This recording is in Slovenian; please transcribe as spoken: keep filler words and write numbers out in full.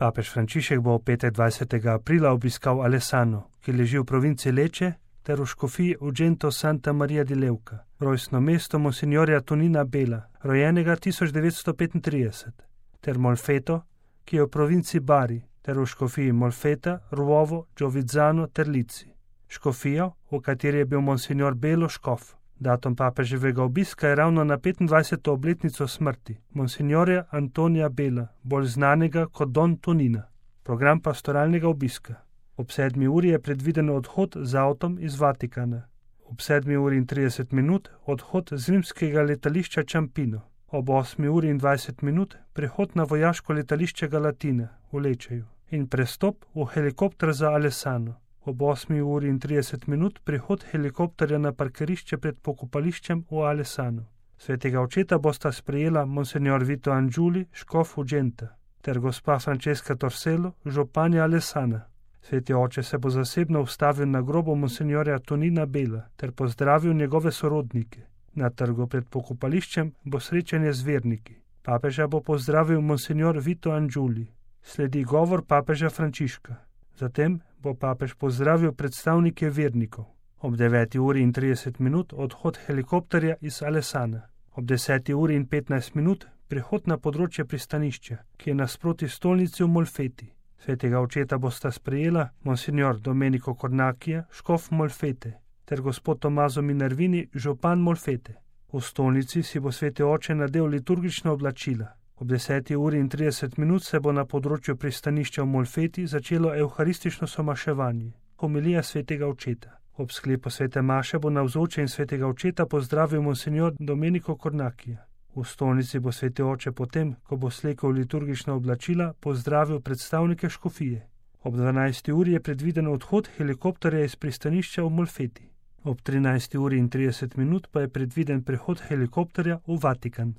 Papež Frančišek bo v petek dvajsetega aprila obiskal Alessano, ki leži v provinci Lecce, ter v škofiji Ugento Santa Maria di Leuca, rojstno mesto monsignorja Tonina Bela, rojenega tisoč devetsto petintrideset, ter Molfeto, ki je v provinci Bari, ter v škofiji Molfeta, Ruovo, Giovizzano ter Lici. Škofijo, v kateri je bil monsignor Belo škof. Datum papeževega obiska je ravno na petindvajseto obletnico smrti monsignorja Antonija Bela, bolj znanega kot Don Tonina. Program pastoralnega obiska. Ob sedmi uri je predviden odhod z avtom iz Vatikana. Ob sedmi uri in trideset minut odhod z rimskega letališča Ciampino. Ob osmi uri in dvajset minut prehod na vojaško letališče Galatina v Lecceju in prestop v helikopter za Alessano. Ob osmi uri in trideset minut prihod helikopterja na parkirišče pred pokopališčem v Alessano. Svetega očeta bosta sprejela monsignor Vito Angiuli, škof Ugenta, ter gospa Francesca Torselo, županja Alessana. Sveti oče se bo zasebno ustavil na grobu monsignorja Tonina Bela ter pozdravil njegove sorodnike. Na trgu pred pokopališčem bo srečanje z verniki. Papeža bo pozdravil monsignor Vito Angiuli. Sledi govor papeža Frančiška. Zatem bo papež pozdravil predstavnike vernikov. Ob deveti uri in trideset minut odhod helikopterja iz Alessana. Ob deseti uri in petnajst minut prihod na področje pristanišča, ki je nasproti stolnici v Molfeti. Svetega očeta bosta sprejela monsignor Domenico Cornacchia, škof Molfete, ter gospod Tommaso Minervini, župan Molfete. V stolnici si bo sveti oče nadel liturgična oblačila. Ob deseti uri in trideset minut se bo na področju pristanišča v Molfeti začelo evharistično somaševanje, homilija svetega očeta. Ob sklepu svete maše bo navzoče in svetega očeta pozdravil monsignor Domenico Cornacchia. V stolnici bo sveti oče potem, ko bo slekel liturgična oblačila, pozdravil predstavnike škofije. Ob dvanajsti uri je predviden odhod helikopterja iz pristanišča v Molfeti. Ob trinajsti uri in trideset minut pa je predviden prehod helikopterja v Vatikan.